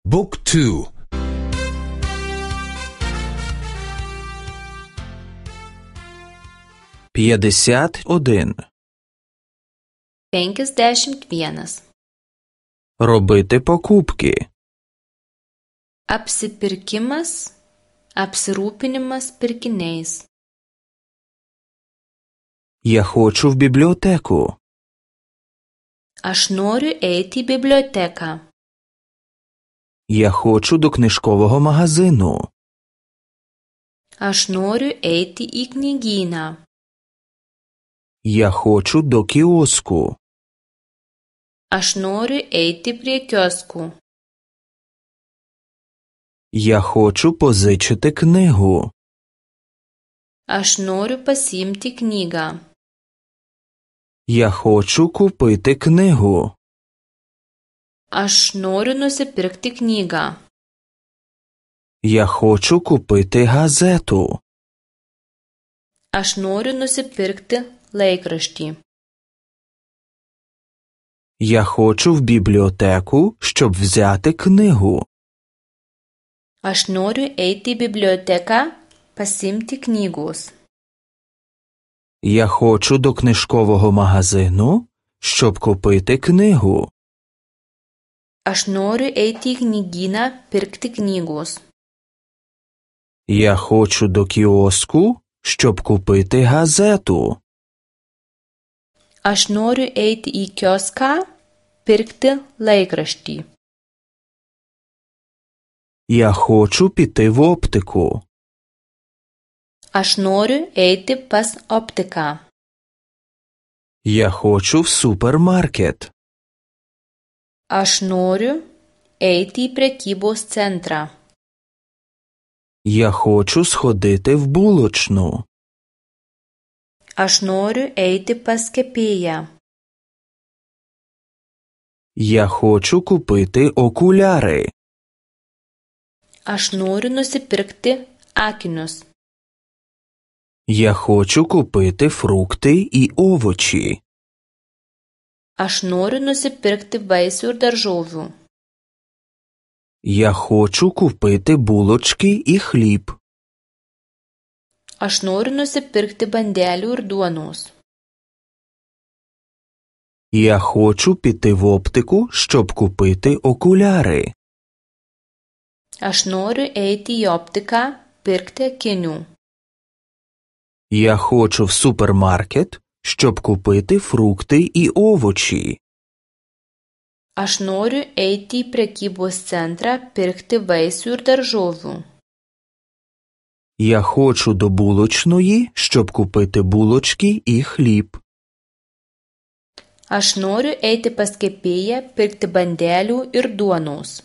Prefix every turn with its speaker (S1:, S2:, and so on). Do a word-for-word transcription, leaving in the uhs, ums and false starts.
S1: Book two.
S2: П'ятдесят один.
S3: Penkiasdešimt vienas.
S2: Робити покупки.
S3: Apsipirkimas, apsirūpinimas pirkiniais.
S2: Я хочу в бібліотеку.
S3: Aš noriu eiti į biblioteką.
S2: Я хочу до книжкового магазину.
S3: Aš noriu eiti į knygyną.
S2: Я хочу до кіоску.
S3: Aš noriu eiti prie kioskų.
S2: Я хочу позичити книгу.
S3: Aš noriu pasiimti knygą.
S2: Я хочу купити книгу.
S3: Aš noriu nusipirkti knygą.
S2: Я хочу купити газету.
S3: Aš noriu nusipirkti laikraštį.
S2: Я хочу в бібліотеку, щоб взяти книгу.
S3: Aš noriu eiti į biblioteką pasiimti knygos.
S2: Я хочу до книжкового магазину, щоб купити книгу.
S3: Aš noriu eiti į knygyną pirkti knygos.
S2: Я хочу до кіоску, щоб купити газету.
S3: Aš noriu eiti į kioską pirkti laikraštį.
S2: Я хочу піти в оптику.
S3: Aš noriu eiti pas optiką.
S2: Я хочу в супермаркет.
S3: Aš noriu eiti į prekybos centrą.
S2: Я хочу сходити в булочну.
S3: Aš noriu eiti pas kepėją.
S2: Я хочу купити окуляри.
S3: Aš noriu nusipirkti akinius.
S2: Я хочу купити фрукти і овочі.
S3: Aš noriu nusipirkti vaisių ir daržovių.
S2: Я хочу купити булочки і хліб.
S3: Aš noriu nusipirkti bandelių ir duonos.
S2: Я хочу піти в оптику, щоб купити окуляри.
S3: Aš noriu eiti į optiką pirkti akinių.
S2: Я хочу в супермаркет, щоб купити фрукти і овочі.
S3: Aš noriu eiti į prekybos centrą pirkti vaisių ir daržovių.
S2: Я хочу до булочної, щоб купити булочки і хліб.
S3: Aš noriu eiti pas kepėją pirkti bandelių ir duonos.